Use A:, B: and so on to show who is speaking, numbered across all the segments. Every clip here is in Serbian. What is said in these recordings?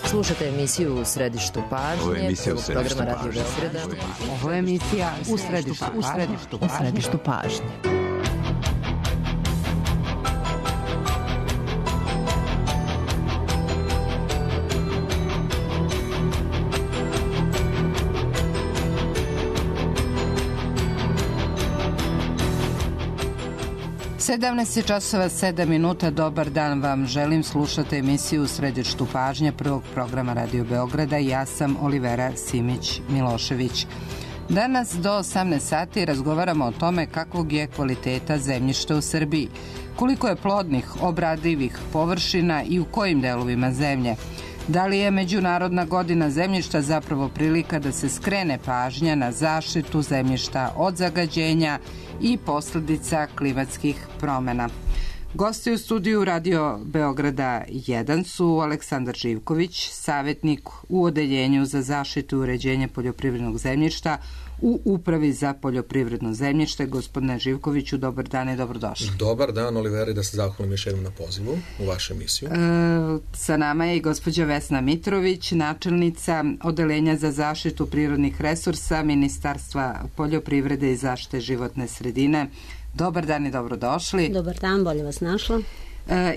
A: Slušate emisiju U središtu pažnje, programa Radio Beograda.
B: Ovo je emisija U središtu pažnje. Sedamnaest je časova 7 minuta. Dobar dan vam želim. Slušate emisiju U središtu pažnje prvog programa Radio Beograda. Ja sam Olivera Simić-Milošević. Danas do 18 sati razgovaramo o tome kakvog je kvaliteta zemljišta u Srbiji, koliko je plodnih, obradivih površina i u kojim delovima zemlje. Da li je Međunarodna godina zemljišta zapravo prilika da se skrene pažnja na zaštitu zemljišta od zagađenja i posledica klimatskih promjena? Gosti u studiju Radio Beograda 1 su Aleksandar Živković, savjetnik u Odeljenju za zaštitu i uređenje poljoprivrednog zemljišta u Upravi za poljoprivredno zemljište. Gospodine Živkoviću, dobar dan i dobrodošli.
C: Dobar dan, Oliveri, da se zahvalim još jednom na pozivu u vašu emisiju.
B: Sa nama je i gospođa Vesna Mitrović, načelnica Odeljenja za zaštitu prirodnih resursa Ministarstva poljoprivrede i zaštite životne sredine. Dobar dan i dobrodošli.
D: Dobar dan, bolje vas našla.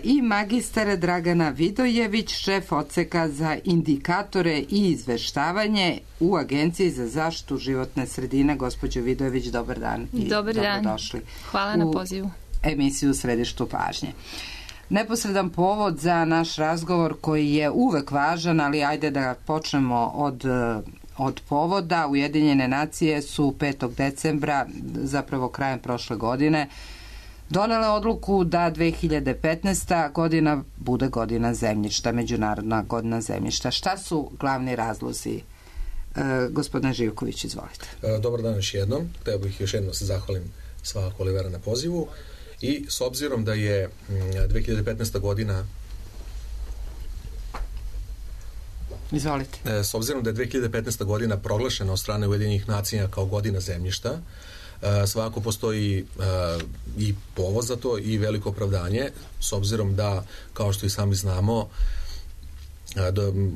B: I magistar Dragana Vidojević, šef odseka za indikatore i izveštavanje u Agenciji za zaštitu životne sredine. Gospođo Vidojević, dobar dan i dobrodošli.
E: Hvala na pozivu.
B: U emisiju U središtu pažnje. Neposredan povod za naš razgovor koji je uvek važan, ali ajde da počnemo od povoda. Ujedinjene nacije su 5. decembra, zapravo krajem prošle godine, donele odluku da 2015. godina bude godina zemljišta, Međunarodna godina zemljišta. Šta su glavni razlozi? Gospodine Živković, izvolite.
C: Dobar dan još jednom. Hteo bih još jednom se zahvalim svakako Olivera na pozivu. I s obzirom da je 2015. godina
B: Izvolite.
C: S obzirom da je 2015. godina proglašena od strane Ujedinjenih nacija kao godina zemljišta, svakako postoji i povod za to i veliko opravdanje, s obzirom da, kao što i sami znamo,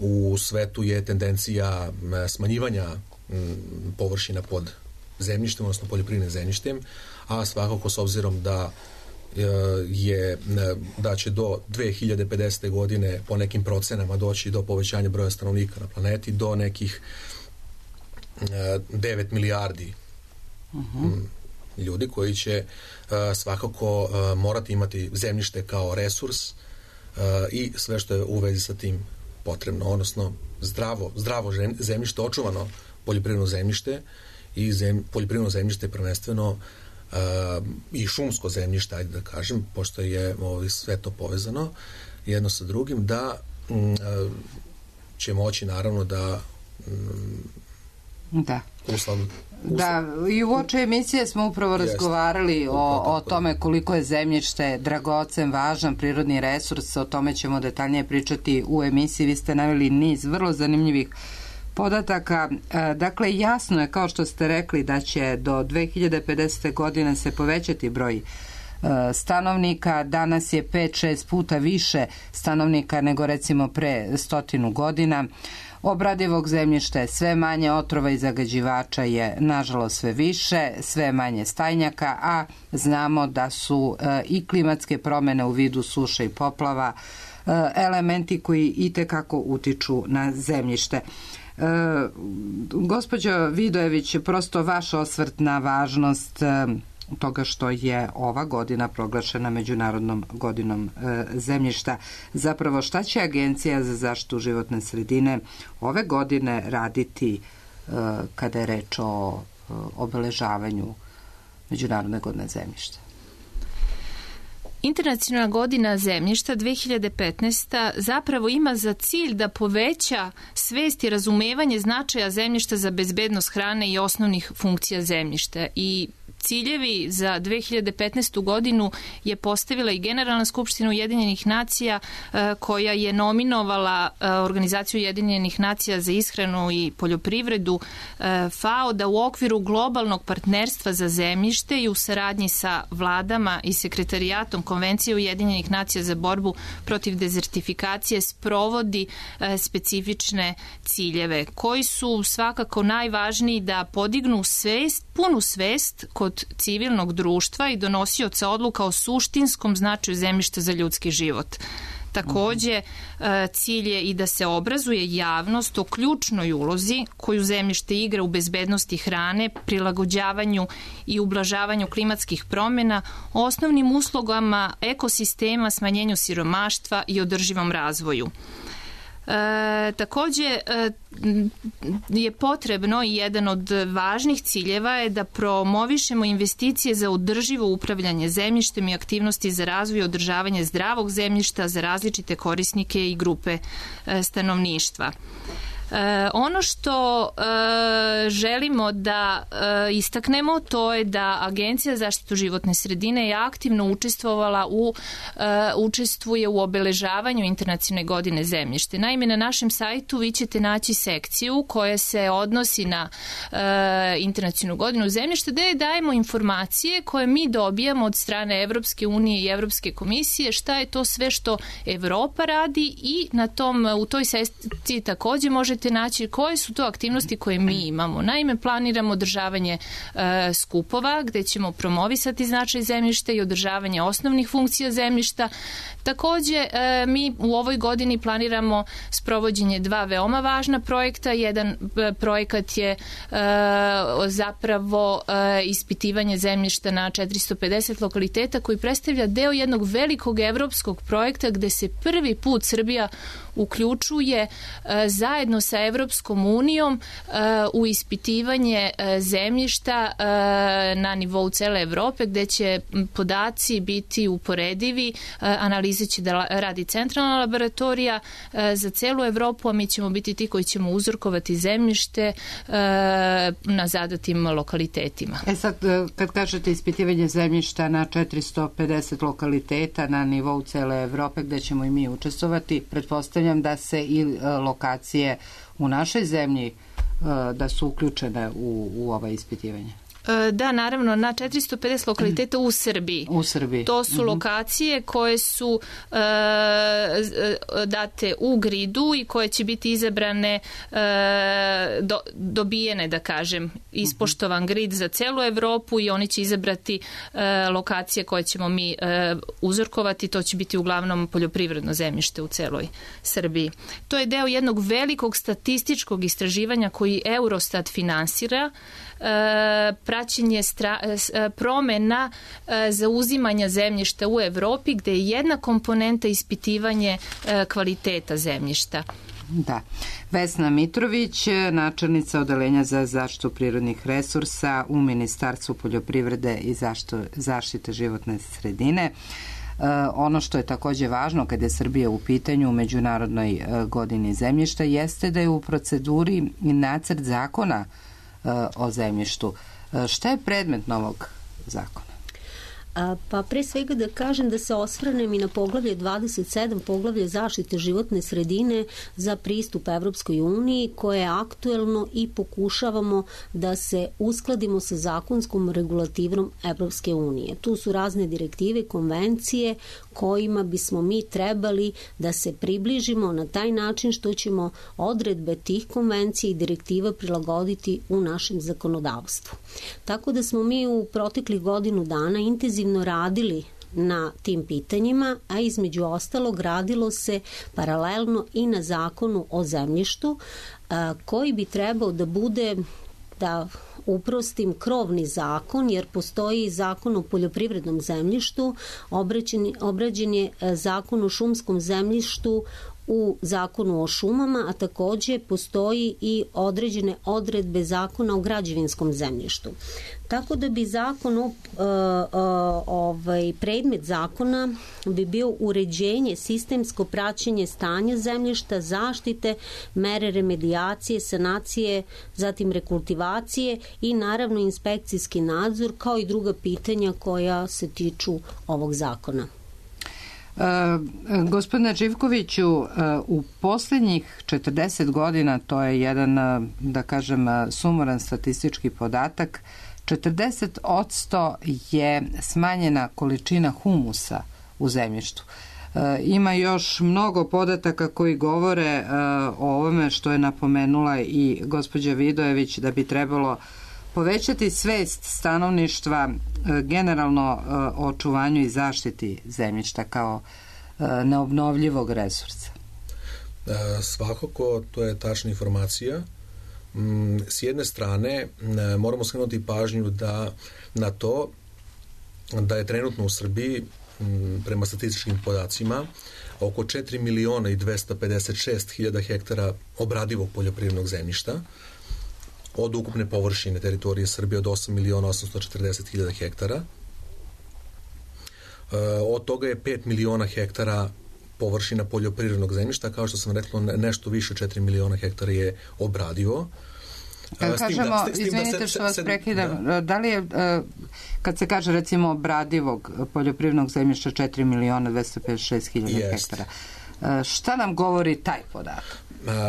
C: u svetu je tendencija smanjivanja površina pod zemljištem, odnosno poljoprivrednim zemljištem, a svakako s obzirom da će do 2050. godine po nekim procenama doći do povećanja broja stanovnika na planeti do nekih 9 milijardi ljudi koji će svakako morati imati zemljište kao resurs i sve što je u vezi sa tim potrebno, odnosno zdravo zemljište, očuvano poljoprivredno zemljište i poljoprivredno zemljište prvenstveno i šumsko zemljište, ajde da kažem, pošto je sve to povezano jedno sa drugim, da će moći naravno da
B: i u oči emisije smo upravo razgovarali o tome koliko je zemljište dragocen, važan prirodni resurs. O tome ćemo detaljnije pričati u emisiji. Vi ste naveli niz vrlo zanimljivih podataka. Dakle, jasno je, kao što ste rekli, da će do 2050. godine se povećati broj stanovnika. Danas je 5-6 puta više stanovnika nego recimo pre 100 godina. Obradivog zemljišta je sve manje, otrova i zagađivača je nažalost sve više, sve manje stajnjaka, a znamo da su i klimatske promjene u vidu suše i poplava elementi koji itekako utiču na zemljište. Gospođo Vidojević, prosto vaš osvrt na važnost toga što je ova godina proglašena Međunarodnom godinom zemljišta. Zapravo, šta će Agencija za zaštitu životne sredine ove godine raditi kada je reč o obeležavanju Međunarodne godine zemljišta?
E: Internacionalna godina zemljišta 2015. zapravo ima za cilj da poveća svest i razumevanje značaja zemljišta za bezbednost hrane i osnovnih funkcija zemljišta. I ciljevi za 2015. godinu je postavila i Generalna skupština Ujedinjenih nacija koja je nominovala Organizaciju Ujedinjenih nacija za ishranu i poljoprivredu FAO da u okviru globalnog partnerstva za zemljište i u saradnji sa vladama i sekretarijatom Konvencije Ujedinjenih nacija za borbu protiv dezertifikacije sprovodi specifične ciljeve koji su svakako najvažniji da podignu punu svest kod civilnog društva i donosioca odluka o suštinskom značaju zemljišta za ljudski život. Takođe, cilj je i da se obrazuje javnost o ključnoj ulozi koju zemljište igra u bezbednosti hrane, prilagođavanju i ublažavanju klimatskih promjena, osnovnim uslugama ekosistema, smanjenju siromaštva i održivom razvoju. Takođe je potrebno i jedan od važnih ciljeva je da promovišemo investicije za održivo upravljanje zemljištem i aktivnosti za razvoj i održavanje zdravog zemljišta za različite korisnike i grupe stanovništva. Ono što želimo da istaknemo to je da Agencija za zaštitu životne sredine je aktivno učestvuje u obeležavanju Internacionalne godine zemljište. Naime, na našem sajtu vi ćete naći sekciju koja se odnosi na Internacionalnu godinu zemljište gde dajemo informacije koje mi dobijamo od strane Evropske unije i Evropske komisije šta je to sve što Evropa radi i u toj sekciji takođe možete naći koje su to aktivnosti koje mi imamo. Naime, planiramo održavanje skupova gde ćemo promovisati značaj zemljišta i održavanje osnovnih funkcija zemljišta. Takođe, mi u ovoj godini planiramo sprovođenje 2 veoma važna projekta. Jedan projekat je zapravo ispitivanje zemljišta na 450 lokaliteta koji predstavlja deo jednog velikog evropskog projekta gde se prvi put Srbija uključuje zajedno sa Evropskom unijom u ispitivanje zemljišta na nivou cele Evrope gde će podaci biti uporedivi, analize će da radi centralna laboratorija za celu Evropu, a mi ćemo biti ti koji ćemo uzorkovati zemljište na zadatim lokalitetima.
B: Sad, kad kažete ispitivanje zemljišta na 450 lokaliteta na nivou cele Evrope gde ćemo i mi učestvovati, pretpostavljam da se i lokacije u našoj zemlji da su uključene u ova ispitivanja.
E: Da, naravno, na 450 lokaliteta u Srbiji.
B: U Srbiji.
E: To su lokacije koje su date u gridu i koje će biti izabrane, dobijene, da kažem, ispoštovan grid za celu Evropu i oni će izabrati lokacije koje ćemo mi uzorkovati. To će biti uglavnom poljoprivredno zemljište u celoj Srbiji. To je deo jednog velikog statističkog istraživanja koji Eurostat finansira, praćenje promena zauzimanja zemljišta u Evropi gde je jedna komponenta ispitivanje kvaliteta zemljišta.
B: Da. Vesna Mitrović, načelnica Odeljenja za zaštitu prirodnih resursa u Ministarstvu poljoprivrede i zaštite životne sredine. Ono što je takođe važno kada je Srbija u pitanju u Međunarodnoj godini zemljišta jeste da je u proceduri nacrt zakona o zemljištu. Šta je predmet novog zakona?
D: Pa pre svega da kažem da se osvrnem i na poglavlje 27, poglavlje zaštite životne sredine za pristup Evropskoj uniji, koje je aktuelno i pokušavamo da se uskladimo sa zakonskom regulativom Evropske unije. Tu su razne direktive, konvencije kojima bismo mi trebali da se približimo na taj način što ćemo odredbe tih konvencija i direktiva prilagoditi u našem zakonodavstvu. Tako da smo mi u proteklih godinu dana intenzivno radili na tim pitanjima, a između ostalog radilo se paralelno i na zakonu o zemljištu, koji bi trebao da bude, da uprostim, krovni zakon, jer postoji zakon o poljoprivrednom zemljištu, obrađen je zakon o šumskom zemljištu u zakonu o šumama, a takođe postoji i određene odredbe zakona o građevinskom zemljištu. Tako da bi zakon, predmet zakona bi bio uređenje, sistemsko praćenje stanja zemljišta, zaštite, mere remedijacije, sanacije, zatim rekultivacije i naravno inspekcijski nadzor, kao i druga pitanja koja se tiču ovog zakona.
B: Gospodine Živkoviću, u posljednjih 40 godina, to je jedan, da kažem, sumoran statistički podatak, 40% je smanjena količina humusa u zemljištu. Ima još mnogo podataka koji govore o ovome što je napomenula i gospođa Vidojević, da bi trebalo povećati svest stanovništva generalno o očuvanju i zaštiti zemljišta kao neobnovljivog resursa.
C: Svakako, to je tačna informacija. S jedne strane, moramo skrenuti pažnju na to da je trenutno u Srbiji, prema statističkim podacima, oko 4.256.000 hektara obradivog poljoprivrednog zemljišta, od ukupne površine teritorije Srbije od 8.840.000 hektara. Od toga je 5 miliona hektara površina poljoprivrednog zemljišta, kao što sam rekla, nešto više 4 miliona hektara je obradivo.
B: Kažemo, izvinite što vas prekidam, da li je, kad se kaže recimo obradivog poljoprivrednog zemljišta 4.256.000 hektara, šta nam govori taj podatak?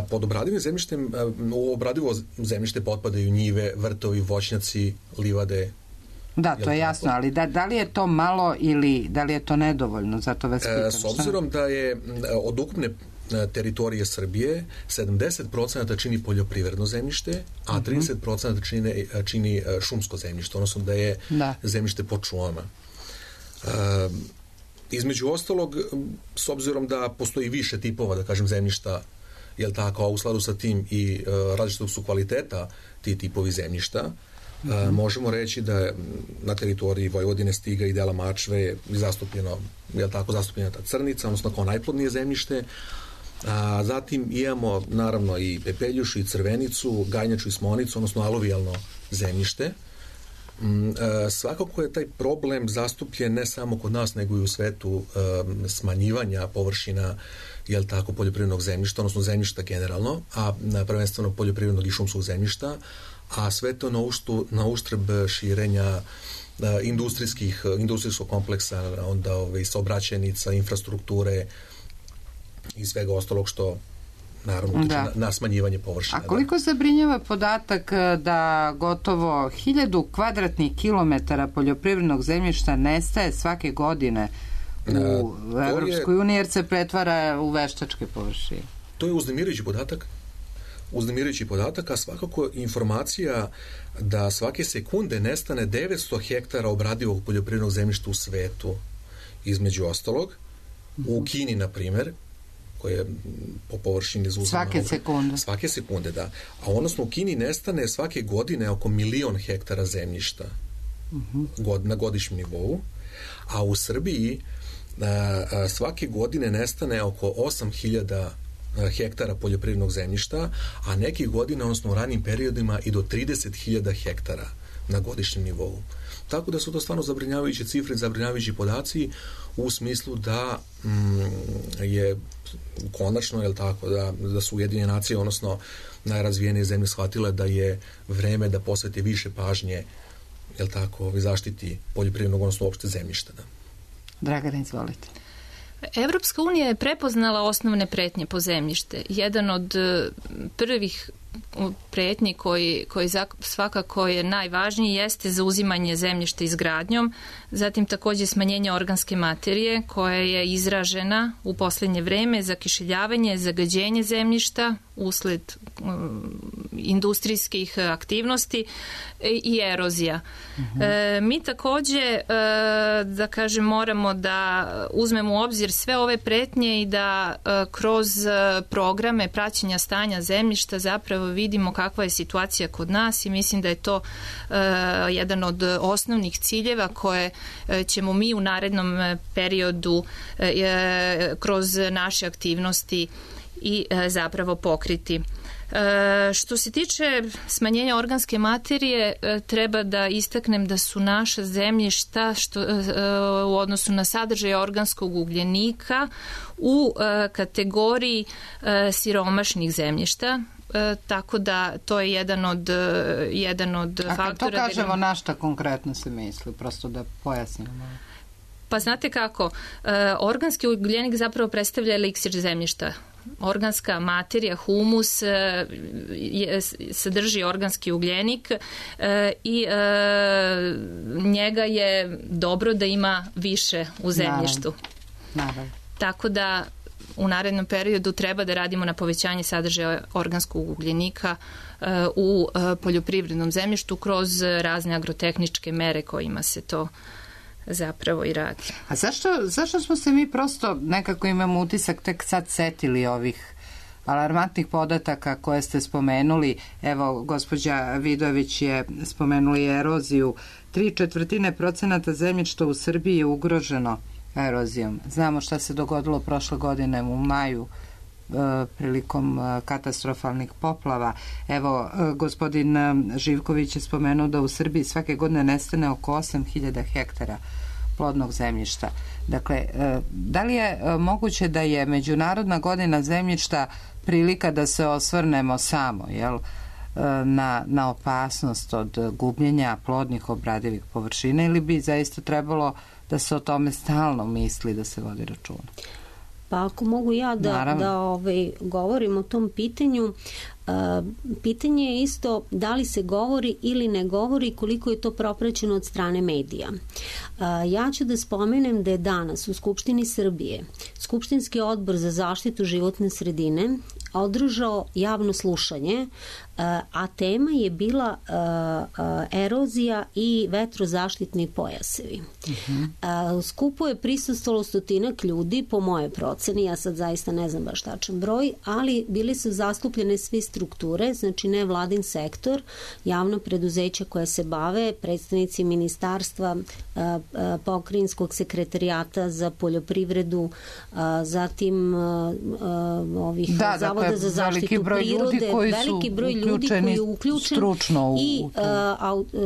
C: Pod obradivim zemljištem, u obradivo zemljište potpadaju njive, vrtovi, voćnjaci, livade.
B: Da, to je jasno, ali da li je to malo ili da li je to nedovoljno? Zato vas pitam.
C: S obzirom da je od ukupne teritorije Srbije 70% čini poljoprivredno zemljište, a 30% čini šumsko zemljište, odnosno da je zemljište pod šumama. Između ostalog, s obzirom da postoji više tipova, da kažem, zemljišta, jel tako, a u skladu sa tim i različitog su kvaliteta ti tipovi zemljišta, možemo reći da na teritoriji Vojvodine, Stiga i dela Mačve je zastupljeno, jel tako, zastupljena ta crnica, odnosno kao najplodnije zemljište. Zatim imamo naravno i pepeljušu i crvenicu, gajnjaču i smonicu, odnosno aluvijalno zemljište. Svakako je taj problem zastupljen ne samo kod nas, nego i u svetu smanjivanja površina, jel tako, poljoprivrednog zemljišta, odnosno zemljišta generalno, a prvenstveno poljoprivrednog i šumskog zemljišta, a sve to na uštrb širenja industrijskog kompleksa, onda saobraćajnica, infrastrukture i svega ostalog što naravno utiče na smanjivanje površina.
B: A koliko zabrinjava podatak da gotovo 1000 kvadratnih kilometara poljoprivrednog zemljišta nestaje svake godine u Evropskoj uniji jer se pretvara u veštačke površine?
C: To je uznemirujući podatak, a svakako informacija da svake sekunde nestane 900 hektara obradivog poljoprivrednog zemljišta u svetu, između ostalog. U Kini, na primjer, koje po površini zauzima svake sekunde, da. A odnosno u Kini nestane svake godine oko 1.000.000 hektara zemljišta na godišnjem nivou, a u Srbiji svake godine nestane oko 8.000 hektara poljoprivrednog zemljišta, a nekih godina, odnosno u ranim periodima, i do 30.000 hektara na godišnjem nivou. Tako da su to stvarno zabrinjavajuće cifre, zabrinjavajući podaci u smislu da je konačno, jel tako, da su Ujedinjene nacije, odnosno najrazvijenije zemlje, shvatile da je vreme da posvete više pažnje, jel tako, zaštiti poljoprivrednog, odnosno uopšte zemljišta.
B: Dragana, izvolite.
E: Evropska unija je prepoznala osnovne pretnje po zemljište. Jedan od prvih pretnji koji svakako je najvažniji jeste zauzimanje zemljišta izgradnjom, zatim takođe smanjenje organske materije koja je izražena u poslednje vreme, zakišeljavanje, zagađenje zemljišta usled industrijskih aktivnosti i erozija. Mi takođe, da kažem, moramo da uzmemo u obzir sve ove pretnje i da kroz programe praćenja stanja zemljišta zapravo vidimo kakva je situacija kod nas i mislim da je to jedan od osnovnih ciljeva koje ćemo mi u narednom periodu kroz naše aktivnosti i zapravo pokriti. Što se tiče smanjenja organske materije, treba da istaknem da su naša zemljišta u odnosu na sadržaj organskog ugljenika u kategoriji siromašnih zemljišta, tako da to je jedan od faktora.
B: A kad to kažemo, na šta konkretno se misli, prosto da pojasnimo?
E: Pa znate kako, organski ugljenik zapravo predstavlja eliksir zemljišta. Organska materija, humus, sadrži organski ugljenik i njega je dobro da ima više u zemljištu.
B: Naravno.
E: Tako da u narednom periodu treba da radimo na povećanje sadržaja organskog ugljenika u poljoprivrednom zemljištu kroz razne agrotehničke mere kojima se to zapravo i radi.
B: A zašto smo se mi prosto, nekako imamo utisak, tek sad setili ovih alarmantnih podataka koje ste spomenuli? Evo, gospođa Vidović je spomenuli eroziju. 3/4% zemljišta u Srbiji je ugroženo erozijom. Znamo šta se dogodilo prošle godine u maju prilikom katastrofalnih poplava. Evo, gospodin Živković je spomenuo da u Srbiji svake godine nestane oko 8.000 hektara plodnog zemljišta. Dakle, da li je moguće da je Međunarodna godina zemljišta prilika da se osvrnemo samo, jel, na opasnost od gubljenja plodnih obradivih površina, ili bi zaista trebalo da se o tome stalno misli, da se vodi računa?
D: Pa ako mogu ja da govorim o tom pitanju, pitanje je isto da li se govori ili ne govori, koliko je to propraćeno od strane medija. Ja ću da spomenem da je danas u Skupštini Srbije Skupštinski odbor za zaštitu životne sredine održao javno slušanje, a tema je bila erozija i vetrozaštitni pojasevi. U skupu je prisustvovalo 100 ljudi, po moje proceni, ja sad zaista ne znam baš tačan broj, ali bili su zastupljene svi strukture, znači ne vladin sektor, javna preduzeća koja se bave, predstavnici ministarstva, pokrajinskog sekretarijata za poljoprivredu, zatim ovih zavoda za zaštitu prirode, veliki broj ljudi koji je uključen i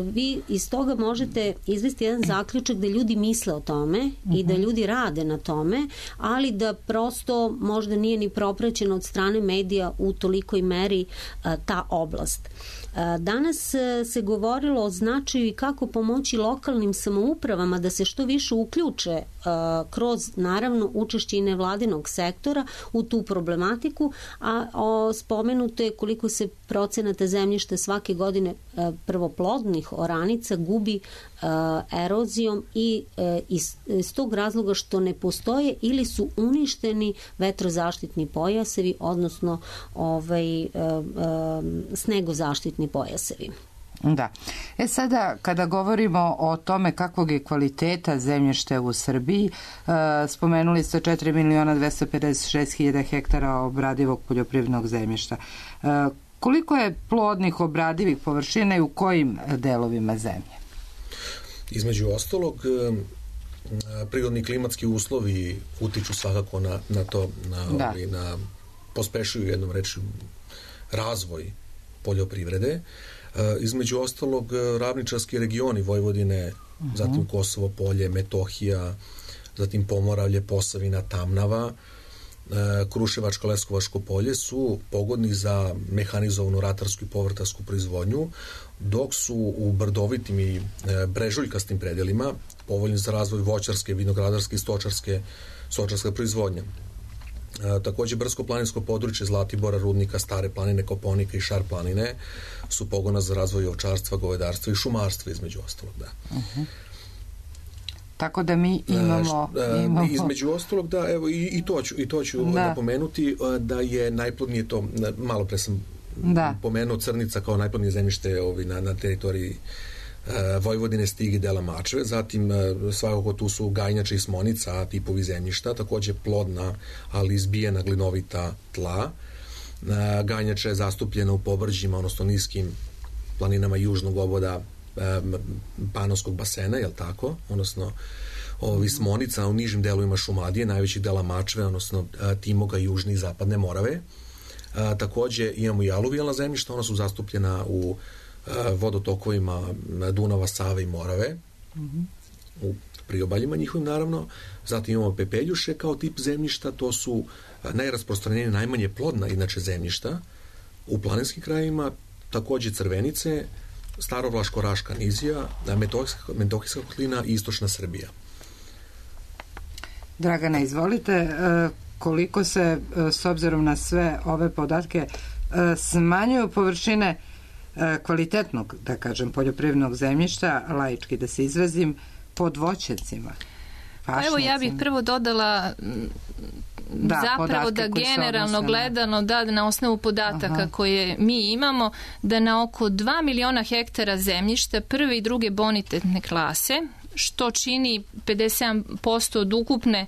D: vi iz toga možete izvesti jedan zaključak da ljudi misle o tome i da ljudi rade na tome, ali da prosto možda nije ni propraćeno od strane medija u tolikoj meri ta oblast. Danas se govorilo o značaju i kako pomoći lokalnim samoupravama da se što više uključe kroz, naravno, učešće i nevladinog sektora u tu problematiku, a spomenuto je koliko se procenata zemljišta svake godine prvoplodnih oranica gubi erozijom i iz tog razloga što ne postoje ili su uništeni vetrozaštitni pojasevi, odnosno snegozaštitni pojasevi.
B: Da. Sada, kada govorimo o tome kakvog je kvaliteta zemljišta u Srbiji, spomenuli ste 4.256.000 hektara obradivog poljoprivrednog zemljišta. Koliko je plodnih obradivih površina i u kojim delovima zemlje?
C: Između ostalog, prirodni klimatski uslovi utiču svakako na to, na pospešuju jednom reči razvoj poljoprivrede. Između ostalog, ravničarski regioni Vojvodine, zatim Kosovo polje, Metohija, zatim Pomoravlje, Posavina, Tamnava, Kruševačko, Leskovačko polje su pogodni za mehanizovanu ratarsku i povrtarsku proizvodnju, dok su u brdovitim i brežuljkastim predelima povoljni za razvoj voćarske, vinogradarske i stočarske proizvodnje. Takođe, brdsko-planinsko područje Zlatibora, Rudnika, Stare planine, Kopaonika i Šar planine su pogona za razvoj ovčarstva, govedarstva i šumarstva, između ostalog, da.
B: Tako da mi imamo...
C: Između ostalog, da, evo, i to ću napomenuti, da je najplodnije to, malo pre sam pomenuo Crnica kao najplodnije zemljište na teritoriji Vojvodine, Stigi, dela Mačve, zatim svakako tu su Gajnjača i Smonica, tipovi zemljišta, takođe plodna, ali izbijena glinovita tla. Gajnjača je zastupljena u povrđima, odnosno niskim planinama južnog oboda Panonskog basena, jel tako? Odnosno Smonica u nižim delovima Šumadije, najvećih dela Mačve, odnosno Timoga, južne i zapadne Morave. Takođe imamo i aluvijalna zemljišta, ona su zastupljena u vodotokovima Dunava, Save i Morave, u priobaljima njihovim naravno. Zatim imamo pepeljuše kao tip zemljišta, to su najrasprostranjenije, najmanje plodna inače zemljišta u planinskim krajevima, takođe Crvenice, Starovlaško-Raška nizija, Metohijska kotlina i istočna Srbija.
B: Dragana, izvolite, koliko se, s obzirom na sve ove podatke, smanjuju površine kvalitetnog, da kažem, poljoprivrednog zemljišta, laički da se izrazim, pod voćnjacima?
E: Pa evo, ja bih prvo dodala zapravo da generalno gledano, na osnovu podataka koje mi imamo, da na oko 2 miliona hektara zemljišta prve i druge bonitetne klase, što čini 57% od ukupne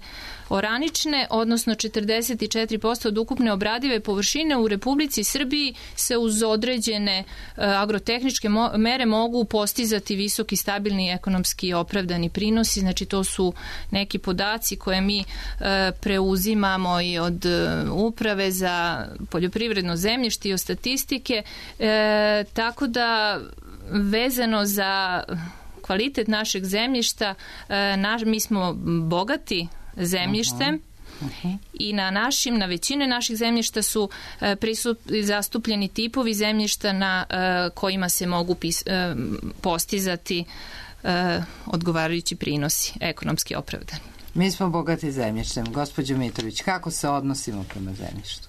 E: oranične, odnosno 44% od ukupne obradive površine u Republici Srbiji se uz određene agrotehničke mere mogu postizati visoki, stabilni, ekonomski opravdani prinosi. Znači to su neki podaci koje mi preuzimamo i od Uprave za poljoprivredno zemljište i od statistike, tako da vezano za kvalitet našeg zemljišta, mi smo bogati zemljištem i na većine naših zemljišta su zastupljeni tipovi zemljišta na kojima se mogu postizati odgovarajući prinosi, ekonomski opravdani.
B: Mi smo bogati zemljištem. Gospođo Mitrović, kako se odnosimo prema zemljištu?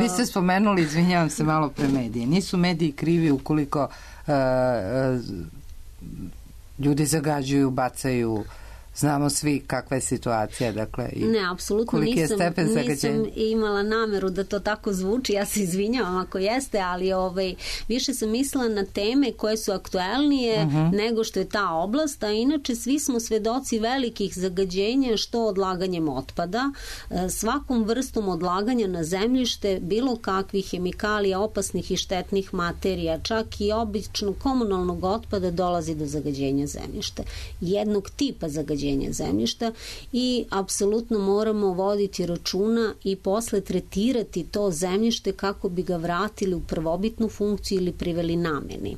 B: Vi ste spomenuli, izvinjavam se, malo pre medije. Nisu mediji krivi ukoliko ljudi zagađuju, bacaju, znamo svi kakva je situacija, dakle, i koliki je stepen zagađenja.
D: Nisam imala nameru da to tako zvuči, ja se izvinjavam ako jeste, ali više sam mislila na teme koje su aktuelnije nego što je ta oblast, a inače svi smo svedoci velikih zagađenja, što odlaganjem otpada, svakom vrstom odlaganja na zemljište, bilo kakvih hemikalija, opasnih i štetnih materija, čak i običnog komunalnog otpada dolazi do zagađenja zemljišta. Jednog tipa zagađenja zemljišta i apsolutno moramo voditi računa i posle tretirati to zemljište kako bi ga vratili u prvobitnu funkciju ili priveli nameni.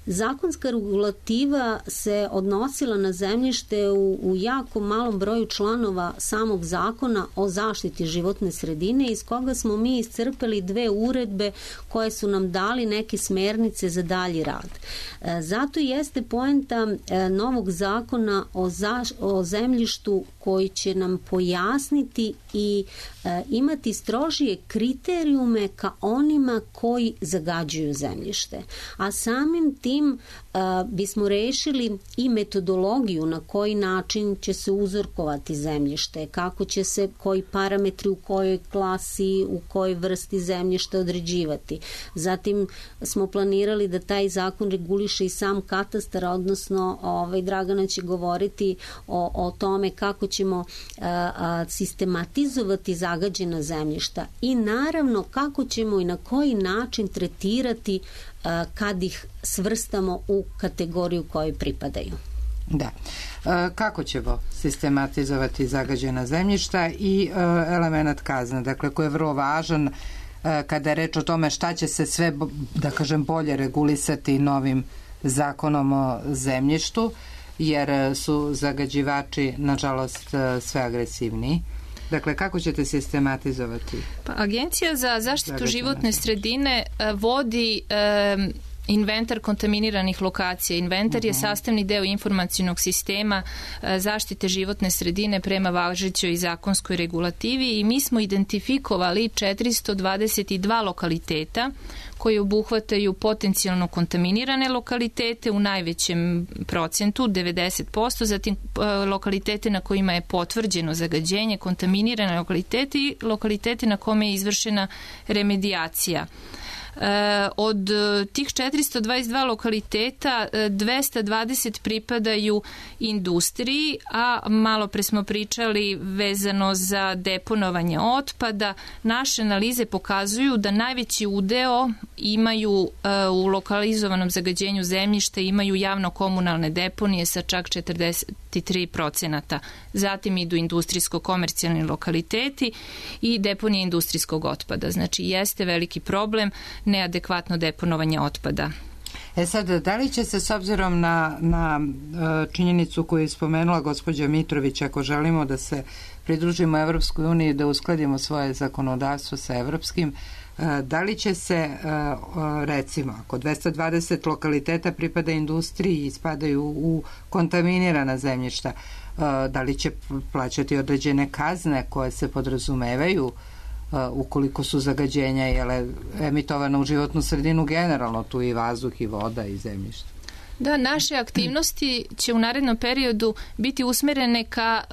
D: Zakonska regulativa se odnosila na zemljište u jako malom broju članova samog zakona o zaštiti životne sredine, iz koga smo mi iscrpeli 2 uredbe koje su nam dali neke smernice za dalji rad. Zato jeste poenta novog zakona o zemljištu koji će nam pojasniti i imati strožije kriterijume ka onima koji zagađuju zemljište. A samim tim bismo rešili i metodologiju na koji način će se uzorkovati zemljište, kako će se koji parametri u kojoj klasi, u kojoj vrsti zemljišta određivati. Zatim smo planirali da taj zakon reguliše i sam katastar, odnosno Dragana će govoriti o tome kako ćemo sistematizovati zagađena zemljišta i naravno kako ćemo i na koji način tretirati kad ih svrstamo u kategoriju kojoj pripadaju.
B: Da. Kako ćemo sistematizovati zagađena zemljišta i element kazne, dakle, koji je vrlo važan kada je reč o tome šta će se sve, da kažem, bolje regulisati novim zakonom o zemljištu, jer su zagađivači, nažalost, sve agresivniji. Dakle, kako ćete sistematizovati?
E: Agencija za zaštitu životne sredine vodi inventar kontaminiranih lokacija. Inventar je sastavni deo informacionog sistema zaštite životne sredine prema važećoj zakonskoj regulativi i mi smo identifikovali 422 lokaliteta koji obuhvataju potencijalno kontaminirane lokalitete u najvećem procentu, 90%, zatim lokalitete na kojima je potvrđeno zagađenje, kontaminirane lokalitete i lokalitete na kome je izvršena remedijacija. Od tih 422 lokaliteta 220 pripadaju industriji, a malo pre smo pričali vezano za deponovanje otpada. Naše analize pokazuju da najveći udeo imaju u lokalizovanom zagađenju zemljišta imaju javno-komunalne deponije sa čak 43%. Zatim idu industrijsko-komercijalni lokaliteti i deponije industrijskog otpada. Znači, jeste veliki problem neadekvatno deponovanje otpada.
B: Sad, da li će se s obzirom na činjenicu koju je spomenula gospođa Mitrović, ako želimo da se pridružimo Evropskoj uniji, da uskladimo svoje zakonodavstvo sa evropskim, da li će se, recimo, ako 220 lokaliteta pripada industriji i spadaju u kontaminirana zemljišta, da li će plaćati određene kazne koje se podrazumevaju ukoliko su zagađenja emitovana u životnu sredinu generalno, tu i vazduh i voda i zemljište?
E: Da, naše aktivnosti će u narednom periodu biti usmerene ka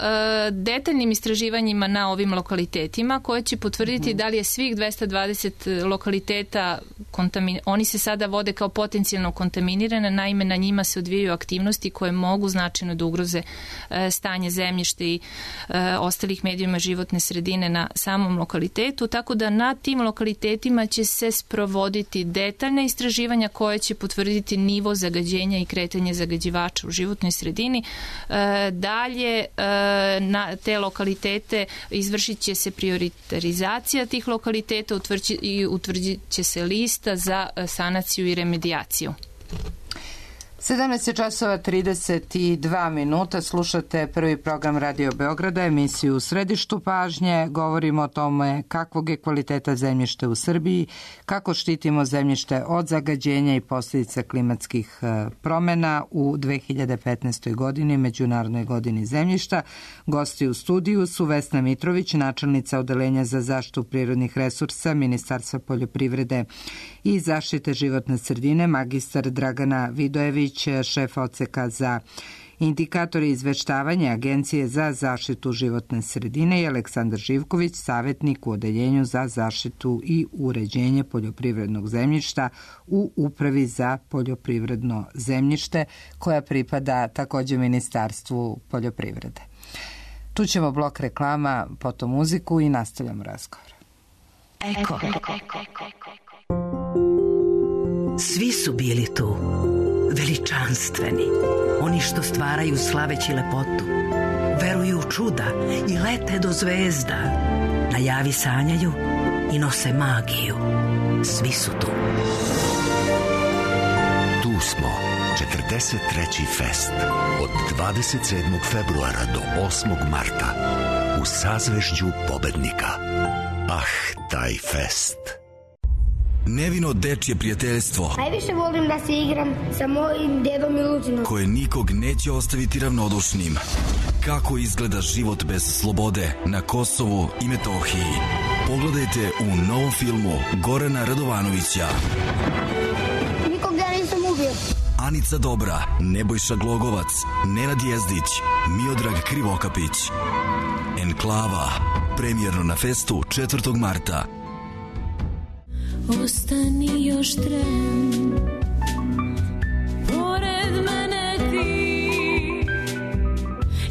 E: detaljnim istraživanjima na ovim lokalitetima koje će potvrditi da li je svih 220 lokaliteta oni se sada vode kao potencijalno kontaminirane, naime na njima se odvijaju aktivnosti koje mogu značajno da ugroze stanje zemljišta i ostalih medijima životne sredine na samom lokalitetu, tako da na tim lokalitetima će se sprovoditi detaljna istraživanja koje će potvrditi nivo zagađenja i kretanje zagađivača u životnoj sredini. Dalje, na te lokalitete izvršit će se prioritarizacija tih lokaliteta i utvrdit će se lista za sanaciju i remedijaciju.
B: 17 časova 32 minuta, slušate prvi program Radio Beograda, emisiju U središtu pažnje. Govorimo o tome kakvog je kvaliteta zemljišta u Srbiji, kako štitimo zemljište od zagađenja i posljedica klimatskih promjena u 2015. godini, Međunarodnoj godini zemljišta. Gosti u studiju su Vesna Mitrović, načelnica Odeljenja za zaštitu prirodnih resursa Ministarstva poljoprivrede i zaštite životne sredine, magistar Dragana Vidojević, šef odseka za indikatori izveštavanja Agencije za zaštitu životne sredine, i Aleksandar Živković, savjetnik u Odeljenju za zaštitu i uređenje poljoprivrednog zemljišta u Upravi za poljoprivredno zemljište, koja pripada također Ministarstvu poljoprivrede. Čućemo blok reklama, potom muziku i nastavljamo razgovor.
F: Eko. Svi su bili tu, veličanstveni, oni što stvaraju slaveći lepotu, veruju u čuda i lete do zvezda, na javi sanjaju i nose magiju. Svi su tu.
G: Tu smo, 43. fest, od 27. februara do 8. marta, u sazvežđu pobednika. Taj fest.
H: Nevino dečje prijateljstvo.
I: Najviše volim da se igram sa mojim dedom i Lucinom.
H: Koje nikog neće ostaviti ravnodušnim. Kako izgleda život bez slobode na Kosovu i Metohiji. Pogledajte u novom filmu Gorana Radovanovića.
I: Nikog ja nisam ubio.
H: Anica Dobra, Nebojša Glogovac, Nenad Jezdić, Miodrag Krivokapić. Enklava, premijerno na festu 4. marta.
J: Ostani još tren, pored mene ti,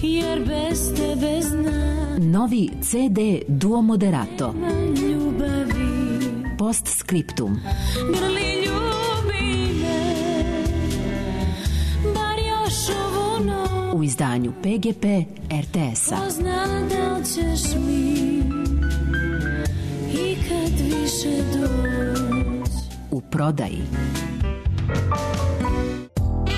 J: jer bez tebe znam.
K: Novi CD Duo Moderato.
J: Ljubavi.
K: Postscriptum.
J: Grli ljubi me, bar još ovu noć.
K: U izdanju PGP RTS-a.
J: Pozna da li ćeš mi ikad više doći.
K: U prodaji.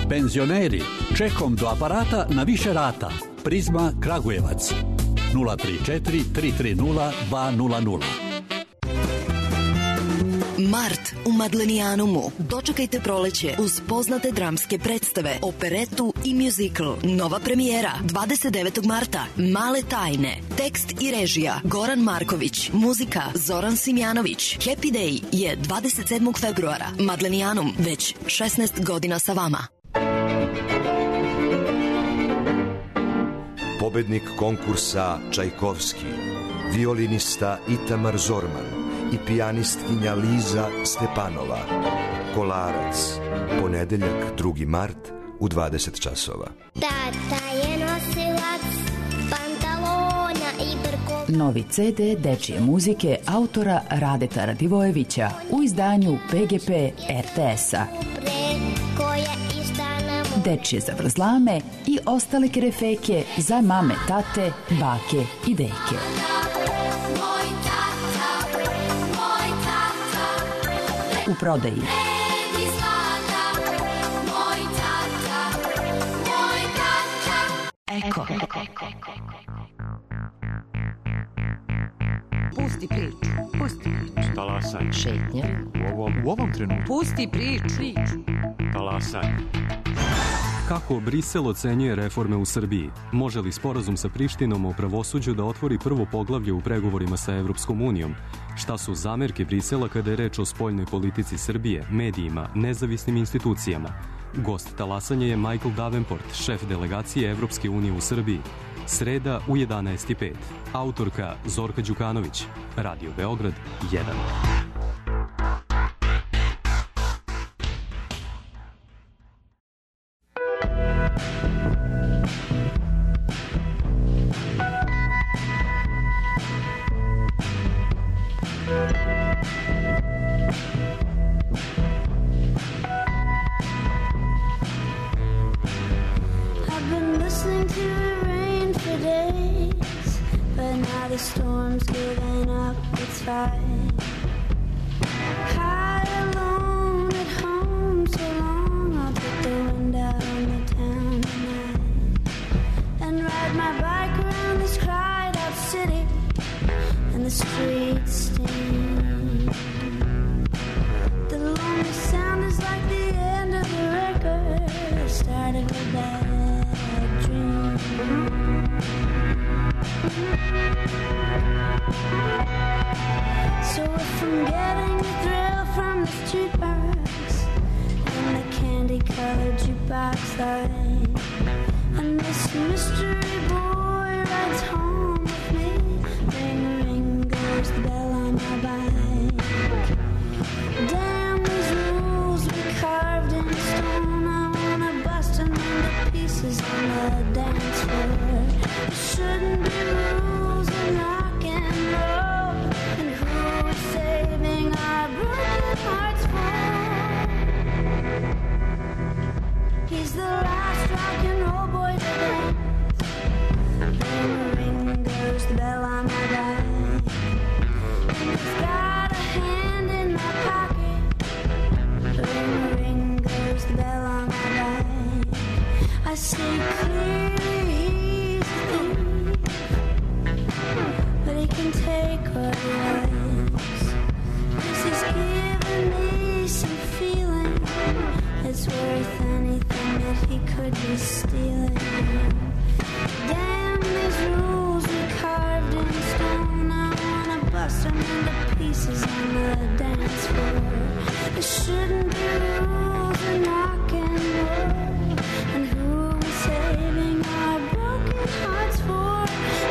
L: Penzioneri, čekom do aparata na više rata. Prizma Kragujevac 034 330 200.
M: Mart u Madlenijanumu. Dočekajte proleće uz poznate dramske predstave, operetu i muzikl. Nova premijera 29. marta. Male tajne. Tekst i režija Goran Marković. Muzika Zoran Simjanović. Happy Day je 27. februara. Madlenijanum već 16 godina sa vama.
N: Pobednik konkursa Čajkovski, violinista Itamar Zorman i pijanistkinja Liza Stepanova. Kolarac, ponedeljak 2. mart u 20 časova.
O: Tata je nosilac pantalona i brko.
K: Novi CD dečije muzike autora Radeta Radivojevića u izdanju PGP RTS-a. Dečije zavrzlame i ostale kerefeke za mame, tate, bake i deke. U prodaji. Eko.
P: Pusti priču. Pusti priču.
Q: Talasaj.
K: Šetnja.
Q: U ovom trenutku.
P: Pusti priču.
Q: Talasaj.
R: Kako Brisel ocenjuje reforme u Srbiji? Može li sporazum sa Prištinom o pravosuđu da otvori prvo poglavlje u pregovorima sa Evropskom unijom? Šta su zamerke Brisela kada je reč o spoljnoj politici Srbije, medijima, nezavisnim institucijama? Gost talasanja je Michael Davenport, šef delegacije Evropske unije u Srbiji. Sreda u 11:05. Autorka Zorka Đukanović. Radio Beograd 1.
J: The storm's giving up its fight. High alone at home so long, I'll take the wind out on the town tonight and ride my bike around this cried out city and the streets sting. The lonely sound is like the end of a record, the start of a bad dream. So if I'm getting a thrill from the jukebox and the candy-colored jukebox light, and this mystery boy rides home with me, ring, ring goes the bell on my bike. Damn these rules we carved in stone, I wanna bust them into pieces on the dance floor. It shouldn't be rules in rock and roll, and who is saving our broken hearts for? He's the last rock and roll boy to dance. Ring, ring goes the bell on my bike, and he's got a hand in my pocket. Ring, ring goes the bell on my bike. I see clearly he's a thief, but he can take what he likes, 'cause he's given me some feeling it's worth anything that he could be stealing. Damn these rules we carved in stone, I wanna bust them into pieces on the dance floor. There shouldn't be rules in rock and roll, and who is saving our broken hearts for?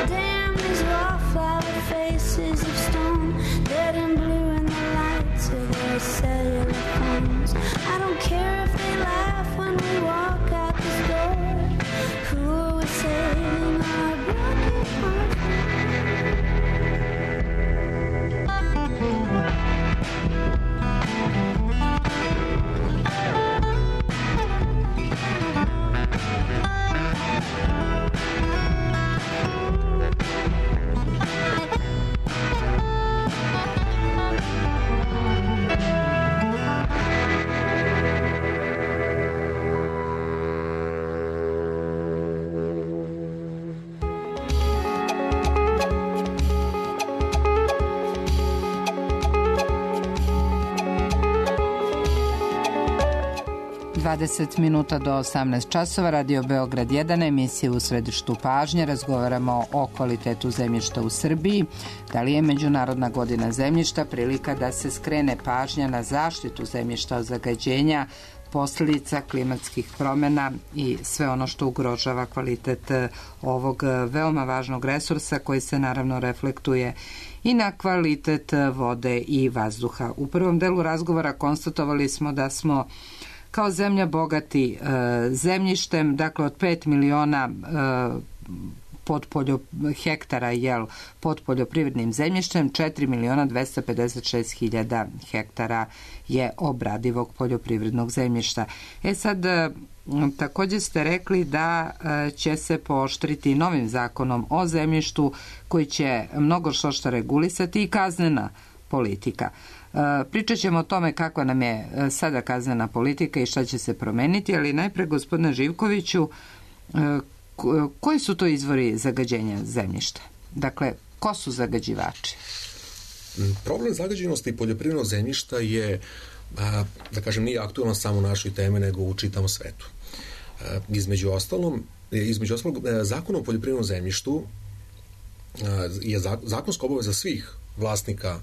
J: Damn these wallflower faces of stone, dead and blue in the lights of their cellular phones. I don't care if they laugh when we walk out this door. Who is saving our broken hearts for?
B: 20 minuta do 18 časova, Radio Beograd 1, emisija U središtu pažnje. Razgovaramo o kvalitetu zemljišta u Srbiji. Da li je Međunarodna godina zemljišta prilika da se skrene pažnja na zaštitu zemljišta od zagađenja, posljedica klimatskih promjena i sve ono što ugrožava kvalitet ovog veoma važnog resursa koji se naravno reflektuje i na kvalitet vode i vazduha. U prvom delu razgovora konstatovali smo da smo kao zemlja bogati zemljištem, dakle od 5 miliona hektara pod poljoprivrednim zemljištem, 4 miliona 256 hiljada hektara je obradivog poljoprivrednog zemljišta. Sad, također ste rekli da će se pooštriti novim zakonom o zemljištu koji će mnogo što regulisati i kaznena politika. Pričat ćemo o tome kakva nam je sada kaznena politika i šta će se promeniti, ali najpre, gospodine Živkoviću, koji su to izvori zagađenja zemljišta? Dakle, ko su zagađivači?
C: Problem zagađenosti poljoprivrednog zemljišta je, da kažem, nije aktualno samo u našoj temi, nego u čitavom svetu. Između ostalog, Zakon o poljoprivrednom zemljištu je zakonska obaveza svih vlasnika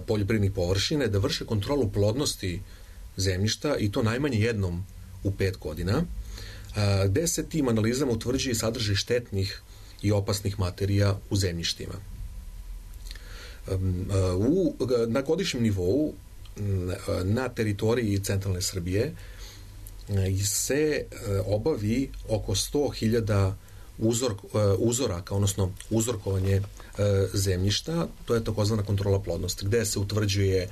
C: poljoprivrednih površine da vrše kontrolu plodnosti zemljišta i to najmanje jednom u 5 godina, gde se tim analizama utvrđuje sadržaj štetnih i opasnih materija u zemljištima. Na godišnjem nivou na teritoriji centralne Srbije se obavi oko 100.000 uzoraka, odnosno uzorkovanje zemljišta, to je takozvana kontrola plodnosti, gde se utvrđuje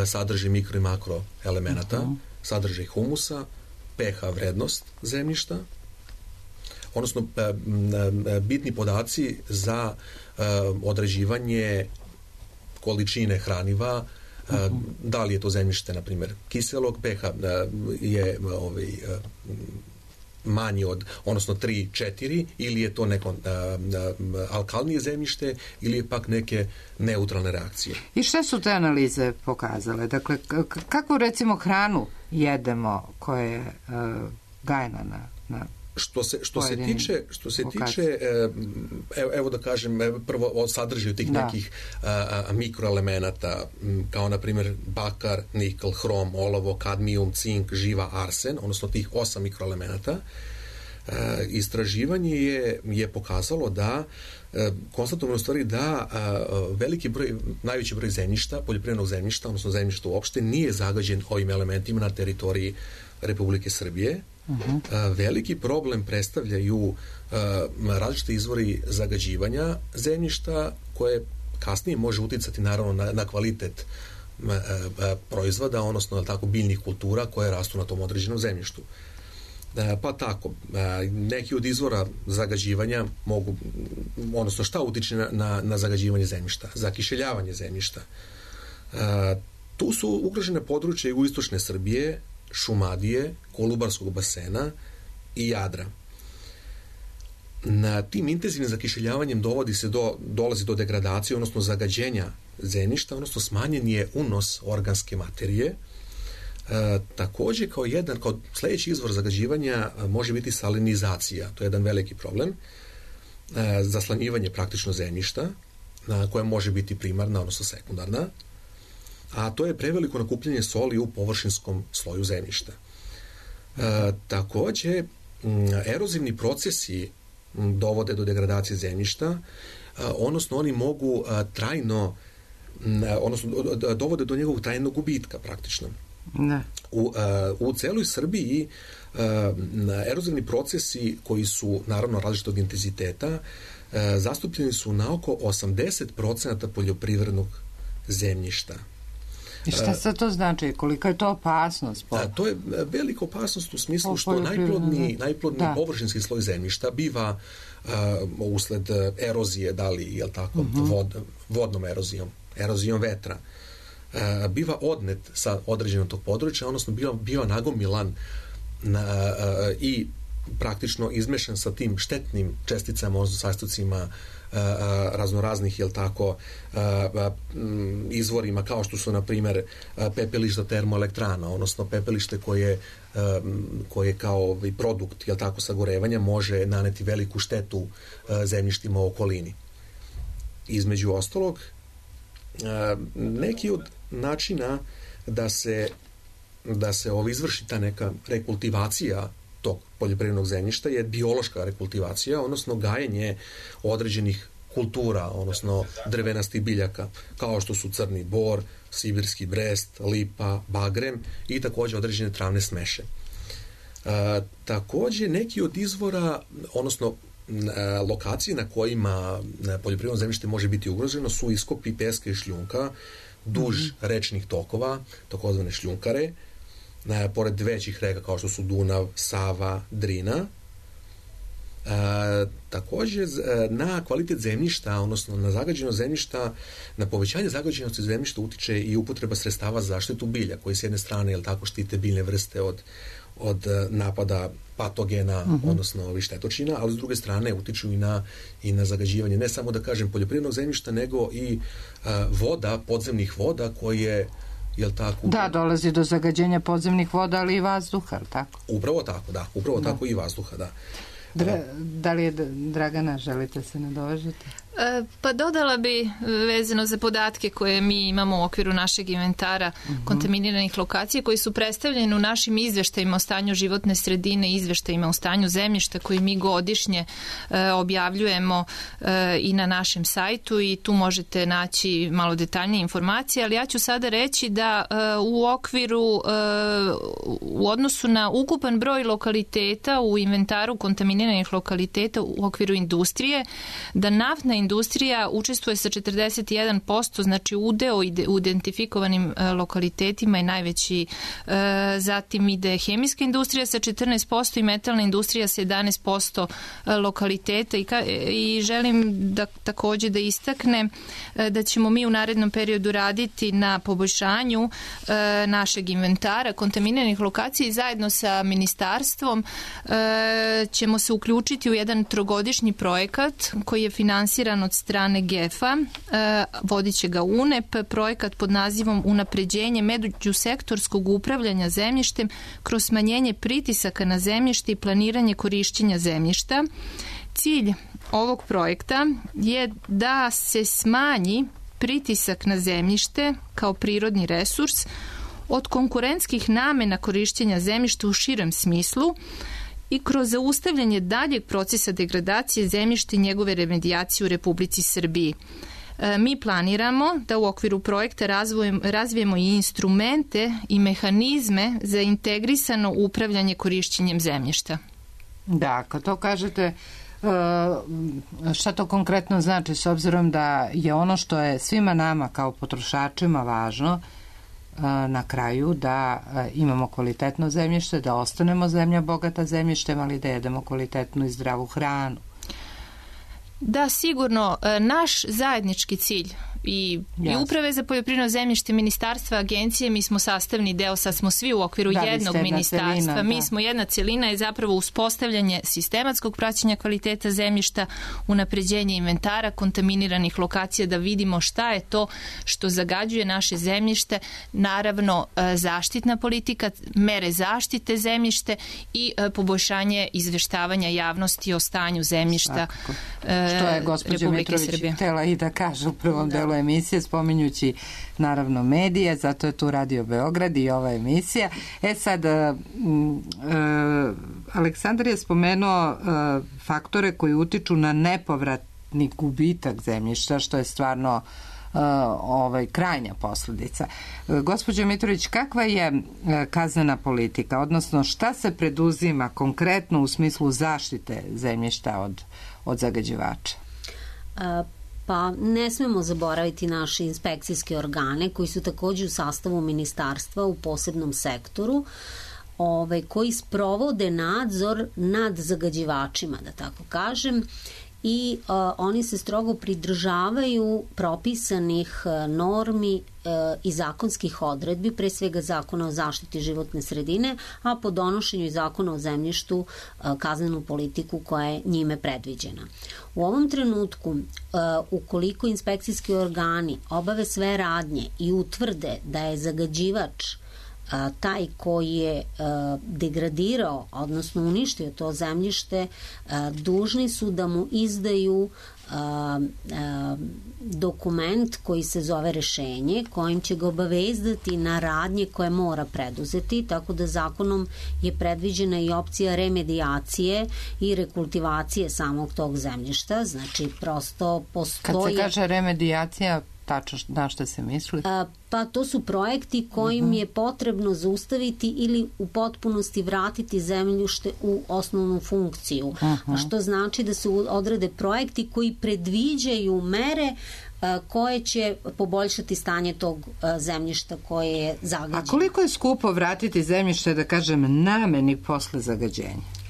C: sadržaj mikro i makro elemenata, sadržaj humusa, pH vrednost zemljišta, odnosno bitni podaci za određivanje količine hraniva, da li je to zemljište, na primjer, kiselog, pH je manji od, odnosno 3-4, ili je to neko alkalnije zemljište, ili je pak neke neutralne reakcije.
B: I šta su te analize pokazale? Dakle, kakvu recimo hranu jedemo koja je gajena na
C: Što se tiče, evo da kažem, prvo o sadržaju tih nekih mikroelemenata, kao na primjer bakar, nikl, hrom, olovo, kadmijum, cink, živa, arsen, odnosno tih 8 mikroelemenata. Istraživanje je pokazalo da konstatovano u stvari da najveći broj zemljišta, poljoprivrednog zemljišta, odnosno zemljišta uopšte, nije zagađen ovim elementima na teritoriji Republike Srbije. Veliki problem predstavljaju različite izvori zagađivanja zemljišta, koje kasnije može uticati naravno na kvalitet proizvoda, odnosno biljnih kultura koje rastu na tom određenom zemljištu. Pa tako, neki od izvora zagađivanja mogu, odnosno šta utiče na zagađivanje zemljišta? Zakiseljavanje zemljišta. Tu su ugrožene područje jugoistočne Srbije, Šumadije, Kolubarskog basena i Jadra. Na tim intenzivnim zakiseljavanjem dolazi do degradacije, odnosno zagađenja zemljišta, odnosno smanjen je unos organske materije. Također kao sljedeći izvor zagađivanja može biti salinizacija. To je jedan veliki problem. Zaslanjivanje praktično zemljišta, koja može biti primarna, odnosno sekundarna, a to je preveliko nakupljanje soli u površinskom sloju zemljišta. Također, erozivni procesi dovode do degradacije zemljišta, odnosno oni mogu trajno, odnosno dovode do njegovog trajnog gubitka praktično. Ne. U celoj Srbiji erozivni procesi koji su naravno različitog intenziteta zastupljeni su na oko 80% poljoprivrednog zemljišta.
B: I šta sad to znači? Kolika je to opasnost?
C: To je velika opasnost u smislu što najplodniji površinski sloj zemljišta biva usled erozije, da li je tako, vodnom erozijom vetra, biva odnet sa određenog tog područja, odnosno biva nagomilan i praktično izmešan sa tim štetnim česticama, odnosno sastojcima raznoraznih, jel tako, izvorima kao što su, na primjer, pepelišta termoelektrana, odnosno pepelište koje kao produkt, jel tako, sagorevanja može naneti veliku štetu zemljištima u okolini. Između ostalog, neki od načina da se izvrši ta neka rekultivacija tog poljoprivrednog zemljišta je biološka rekultivacija, odnosno gajenje određenih kultura, odnosno drvenastih biljaka, kao što su crni bor, sibirski brest, lipa, bagrem i također određene travne smeše. Također neki od izvora, odnosno lokacije na kojima poljoprivredno zemljište može biti ugroženo su iskopi peska i šljunka duž rečnih tokova, takozvane šljunkare, pored većih reka kao što su Dunav, Sava, Drina. Također na kvalitet zemljišta, odnosno na zagađenost zemljišta, na povećanje zagađenosti zemljišta utiče i upotreba sredstava za zaštitu bilja, koji s jedne strane, jel tako, štite biljne vrste od napada patogena, odnosno štetočina, ali s druge strane utiču i na zagađivanje, ne samo, da kažem, poljoprivrednog zemljišta, nego i voda, podzemnih voda koje, jel tako?
B: Da, dolazi do zagađenja podzemnih voda, ali i vazduha, jel tako?
C: Upravo tako, da. Upravo tako i vazduha, da.
B: Da li je, Dragana, želite se nadovežiti?
E: Pa dodala bi, vezano za podatke koje mi imamo u okviru našeg inventara kontaminiranih lokacija, koji su predstavljeni u našim izveštajima o stanju životne sredine, izveštajima o stanju zemljišta koji mi godišnje objavljujemo i na našem sajtu, i tu možete naći malo detaljnije informacije, ali ja ću sada reći da u okviru, u odnosu na ukupan broj lokaliteta u inventaru kontaminiranih lokaliteta u okviru industrije, da naftna industrija učestvuje sa 41%, znači udeo u identifikovanim lokalitetima je najveći. Zatim ide hemijska industrija sa 14% i metalna industrija sa 11% lokaliteta, i želim da također da istaknem da ćemo mi u narednom periodu raditi na poboljšanju našeg inventara kontaminiranih lokacija, i zajedno sa ministarstvom ćemo se uključiti u jedan trogodišnji projekat koji je finansiran od strane GEF-a, vodit će ga UNEP, projekat pod nazivom Unapređenje međusektorskog upravljanja zemljištem kroz smanjenje pritisaka na zemljište i planiranje korišćenja zemljišta. Cilj ovog projekta je da se smanji pritisak na zemljište kao prirodni resurs od konkurentskih namena korišćenja zemljišta u širem smislu, i kroz zaustavljanje daljeg procesa degradacije zemljišta i njegove remedijacije u Republici Srbiji. Mi planiramo da u okviru projekta razvijemo i instrumente i mehanizme za integrisano upravljanje korišćenjem zemljišta.
B: Da, kad to kažete, šta to konkretno znači, s obzirom da je ono što je svima nama kao potrošačima važno na kraju, da imamo kvalitetno zemljište, da ostanemo zemlja bogata zemljištem, ali da jedemo kvalitetnu i zdravu hranu.
E: Da, sigurno, naš zajednički cilj i Uprave za poljoprivredno zemljište, ministarstva, agencije, mi smo sastavni deo, sad smo svi u okviru jednog ministarstva, mi smo jedna celina, je zapravo uspostavljanje sistematskog praćenja kvaliteta zemljišta, unapređenje inventara kontaminiranih lokacija, da vidimo šta je to što zagađuje naše zemljište, naravno zaštitna politika, mere zaštite zemljište i poboljšanje izveštavanja javnosti o stanju zemljišta
B: što je gospođa Mitrović htela i da kaže u prvom delu emisije, spominjući naravno medije, zato je tu Radio Beograd i ova emisija. Sad, Aleksandar je spomenuo faktore koji utiču na nepovratni gubitak zemljišta, što je stvarno krajnja posljedica. Gospođo Mitrović, kakva je kaznena politika, odnosno šta se preduzima konkretno u smislu zaštite zemljišta od zagađivača?
D: Pa ne smemo zaboraviti naše inspekcijske organe koji su također u sastavu ministarstva u posebnom sektoru, koji sprovode nadzor nad zagađivačima, da tako kažem, i oni se strogo pridržavaju propisanih normi i zakonskih odredbi, pre svega Zakona o zaštiti životne sredine, a po donošenju i Zakona o zemljištu kaznenu politiku koja je njime predviđena. U ovom trenutku, ukoliko inspekcijski organi obave sve radnje i utvrde da je zagađivač taj koji je degradirao, odnosno uništio to zemljište, dužni su da mu izdaju dokument koji se zove rešenje, kojim će ga obavezdati na radnje koje mora preduzeti, tako da zakonom je predviđena i opcija remedijacije i rekultivacije samog tog zemljišta. Znači, prosto postoje...
B: Kad se kaže remedijacija, tačno na što se misli?
D: Pa to su projekti kojim je potrebno zaustaviti ili u potpunosti vratiti zemljište u osnovnu funkciju. Što znači da se odrede projekti koji predviđaju mere koje će poboljšati stanje tog zemljišta koje je zagađeno.
B: A koliko je skupo vratiti zemljište, da kažem, nameni posle zagađenja?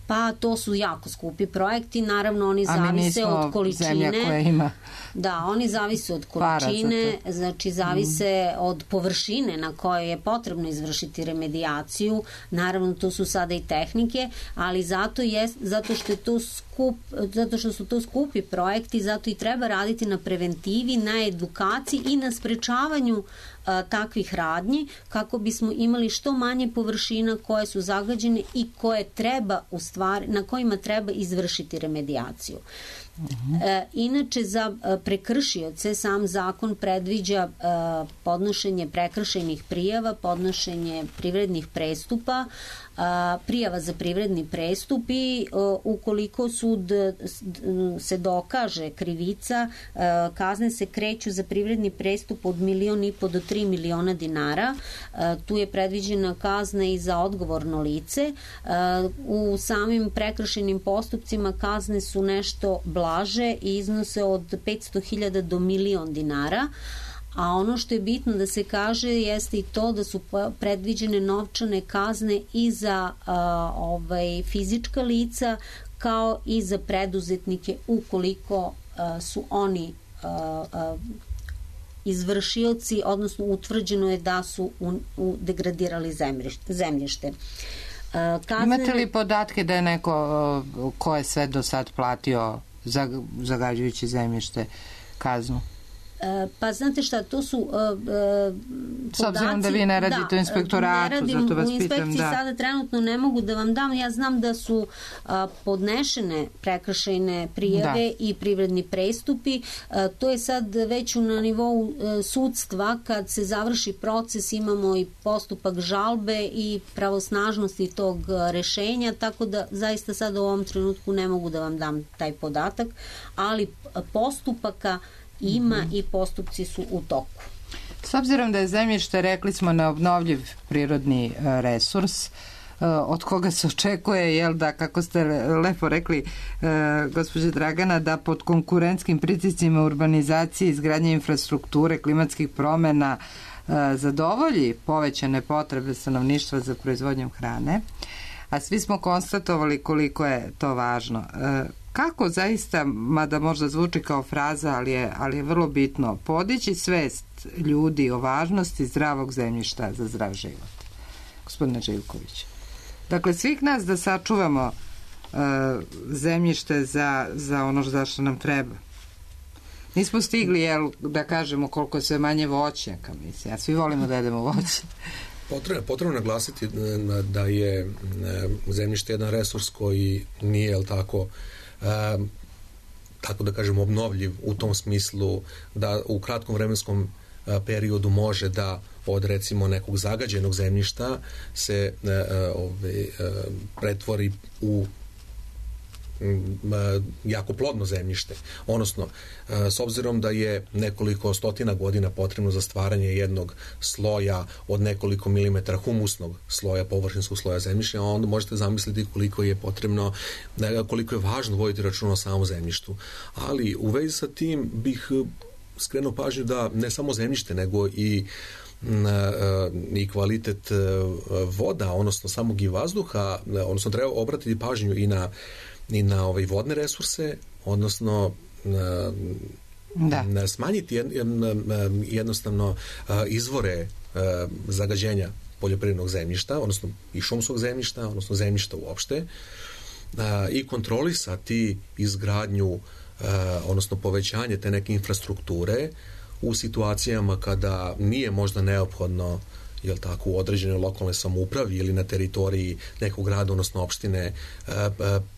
D: Pa to su jako skupi projekti, naravno oni zavise od količine.
B: Zemlja koja ima.
D: Da, oni zavise od količine, znači zavise od površine na kojoj je potrebno izvršiti remedijaciju. Naravno to su sada i tehnike, ali zato što je to zato što su to skupi projekti, zato i treba raditi na preventivi, na edukaciji i na sprečavanju takvih radnji, kako bismo imali što manje površina koje su zagađene i koje treba na kojima treba izvršiti remedijaciju. Inače, za prekršioce sam zakon predviđa podnošenje prekršajnih prijava, podnošenje privrednih prestupa, prijava za privredni prestup i ukoliko sud se dokaže krivica, kazne se kreću za privredni prestup od 1,5 miliona do 3 miliona dinara. Tu je predviđena kazna i za odgovorno lice. U samim prekršajnim postupcima kazne su nešto blaže i iznose od 500.000 do 1 milion dinara. A ono što je bitno da se kaže jeste i to da su predviđene novčane kazne i za fizička lica kao i za preduzetnike ukoliko su oni izvršioci, odnosno utvrđeno je da su degradirali zemljište.
B: Imate li podatke da je neko ko je sve do sad platio zagađujući zemljište kaznu?
D: Pa znate šta, to su
B: s obzirom da vi ne radite u inspektoratu, zato vas pitam. U inspekciji
D: sada trenutno ne mogu da vam dam. Ja znam da su podnešene prekršajne prijave i privredni prestupi. To je sad već na nivou sudstva. Kad se završi proces, imamo i postupak žalbe i pravosnažnosti tog rešenja, tako da zaista sad u ovom trenutku ne mogu da vam dam taj podatak, ali postupaka ima i postupci su u toku.
B: S obzirom da je zemljište, rekli smo, neobnovljiv prirodni resurs, od koga se očekuje, jel da, kako ste lepo rekli, gospođe Dragana, da pod konkurentskim pritiscima urbanizacije, izgradnje infrastrukture, klimatskih promena zadovolji povećane potrebe stanovništva za proizvodnjom hrane, a svi smo konstatovali koliko je to važno. Kako zaista, mada možda zvuči kao fraza, ali je vrlo bitno, podići svest ljudi o važnosti zdravog zemljišta za zdrav život? Gospodine Živković. Dakle, svih nas da sačuvamo zemljište za ono za što nam treba. Nismo stigli, da kažemo koliko je sve manje voćnjaka, mislim. A svi volimo da jedemo voće.
C: Potrebno naglasiti da je zemljište jedan resurs koji nije, tako da kažem, obnovljiv u tom smislu da u kratkom vremenskom periodu može da od recimo nekog zagađenog zemljišta se pretvori u jako plodno zemljište. Odnosno, s obzirom da je nekoliko stotina godina potrebno za stvaranje jednog sloja od nekoliko milimetara humusnog sloja, površinskog sloja zemljišta, onda možete zamisliti koliko je potrebno, koliko je važno voditi računa o samom zemljištu. Ali u vezi sa tim bih skrenuo pažnju da ne samo zemljište, nego i kvalitet voda, odnosno samog i vazduha, odnosno treba obratiti pažnju i na vodne resurse odnosno smanjiti jednostavno izvore zagađenja poljoprivrednog zemljišta, odnosno i šumskog zemljišta, odnosno zemljišta uopšte, i kontrolisati izgradnju, odnosno povećanje te neke infrastrukture u situacijama kada nije možda neophodno, jel tako, u određenoj lokalnoj samoupravi ili na teritoriji nekog grada, odnosno opštine,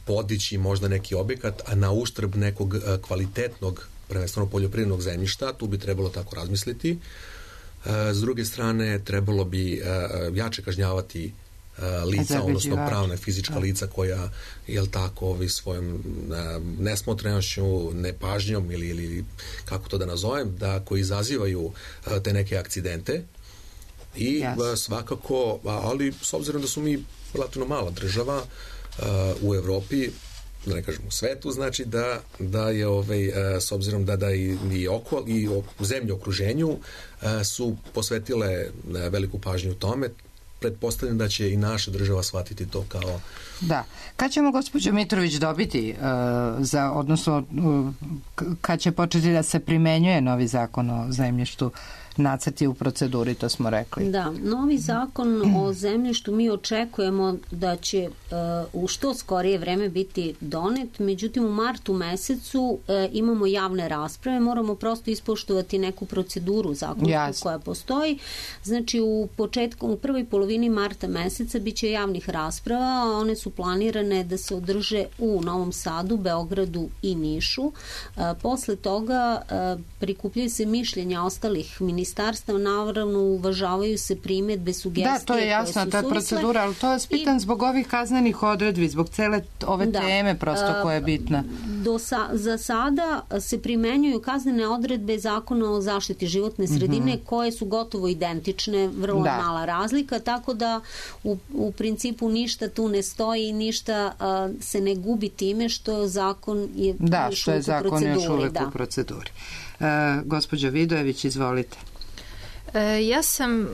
C: podići možda neki objekat, a na uštrb nekog kvalitetnog, prvenstveno poljoprivrednog zemljišta. Tu bi trebalo tako razmisliti. S druge strane, trebalo bi jače kažnjavati lica, odnosno pravna fizička lica koja, jel tako, svojom nesmotrenošću, nepažnjom ili kako to da nazovem, koji izazivaju te neke akcidente. I svakako, ali s obzirom da su mi relativno mala država u Evropi, da ne kažem u svetu, znači da je s obzirom da i zemlje u okruženju su posvetile veliku pažnju tome, pretpostavljam da će i naša država shvatiti to kao...
B: Da. Kad ćemo, gospođo Mitrović, dobiti, odnosno kad će početi da se primenjuje novi zakon o zemljištu? Nacrti u proceduri, to smo rekli.
D: Da, novi zakon o zemljištu mi očekujemo da će u što skorije vreme biti donet, međutim u martu mesecu imamo javne rasprave, moramo prosto ispoštovati neku proceduru zakonsku koja postoji. Znači u prvoj polovini marta meseca bit će javnih rasprava, a one su planirane da se održe u Novom Sadu, Beogradu i Nišu. Posle toga prikupljaju se mišljenja ostalih ministarstva, naravno uvažavaju se primjedbe, sugestije.
B: Da, to je jasno, ta procedura, ali to je spitan zbog ovih kaznenih odredbi, zbog cele ove teme prosto koja je bitna.
D: Za sada se primenjuju kaznene odredbe Zakona o zaštiti životne sredine koje su gotovo identične, vrlo mala razlika, tako da u principu ništa tu ne stoji i ništa se ne gubi time što zakon je
B: još uvijek u proceduri. Gospođo Vidojević, izvolite.
E: Ja sam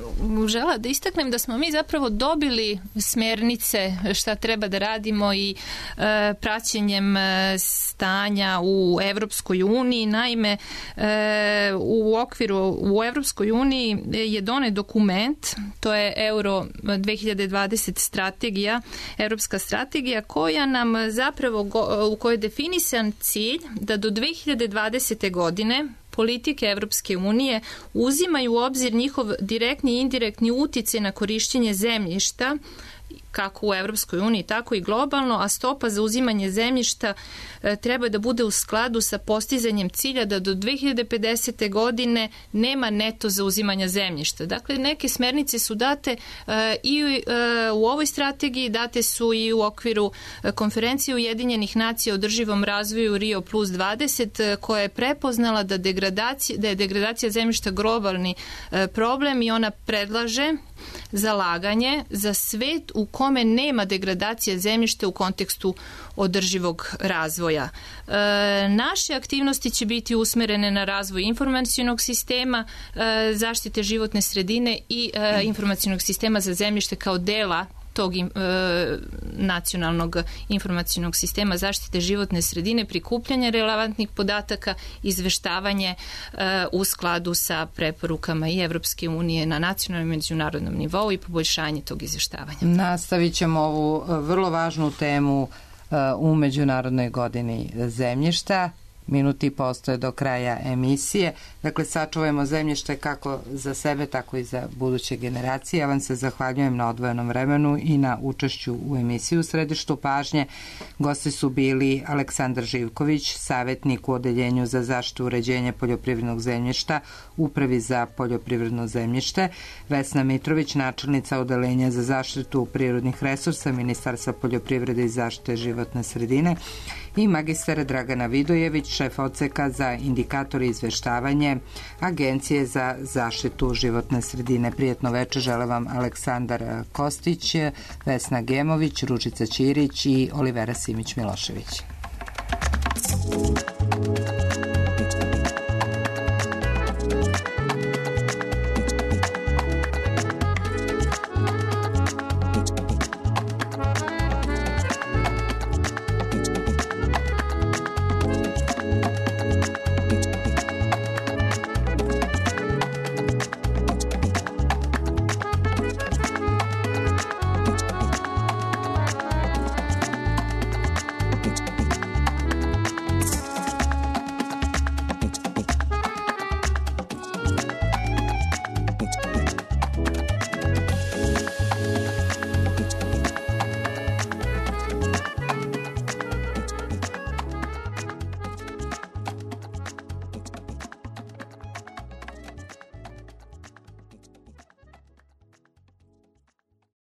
E: žela da istaknem da smo mi zapravo dobili smernice šta treba da radimo i praćenjem stanja u Evropskoj uniji. Naime, u Evropskoj uniji je donet dokument, to je Euro 2020 strategija, evropska strategija koja nam zapravo, u kojoj je definisan cilj da do 2020. godine politike Evropske unije uzimaju u obzir njihov direktni i indirektni uticaj na korišćenje zemljišta, kako u Evropskoj uniji, tako i globalno, a stopa za uzimanje zemljišta treba da bude u skladu sa postizanjem cilja da do 2050. godine nema neto zauzimanja zemljišta. Dakle, neke smernice su date i u ovoj strategiji, date su i u okviru konferencije Ujedinjenih nacija o održivom razvoju Rio plus 20, koja je prepoznala da je degradacija zemljišta globalni problem i ona predlaže zalaganje za svet u kome nema degradacije zemljišta u kontekstu održivog razvoja. Naše aktivnosti će biti usmerene na razvoj informacionog sistema, zaštite životne sredine i informacionog sistema za zemljište kao dela tog nacionalnog informacionog sistema zaštite životne sredine, prikupljanje relevantnih podataka, izveštavanje u skladu sa preporukama i Evropske unije na nacionalnom i međunarodnom nivou i poboljšanje tog izveštavanja.
B: Nastavit ćemo ovu vrlo važnu temu u Međunarodnoj godini zemljišta. Minuti postoje do kraja emisije. Dakle, sačuvajmo zemljište kako za sebe, tako i za buduće generacije. Ja vam se zahvaljujem na odvojenom vremenu i na učešću u emisiji. U središtu pažnje gosti su bili Aleksandar Živković, savjetnik u Odeljenju za zaštitu uređenja poljoprivrednog zemljišta, Upravi za poljoprivredno zemljište, Vesna Mitrović, načelnica Odeljenja za zaštitu prirodnih resursa, Ministarstva poljoprivrede i zaštite životne sredine, i magistar Dragana Vidojević, šef odseka za indikator i izveštavanje Agencije za zaštitu životne sredine. Prijetno večer žele vam Aleksandar Kostić, Vesna Gemović, Ružica Ćirić i Olivera Simić Milošević.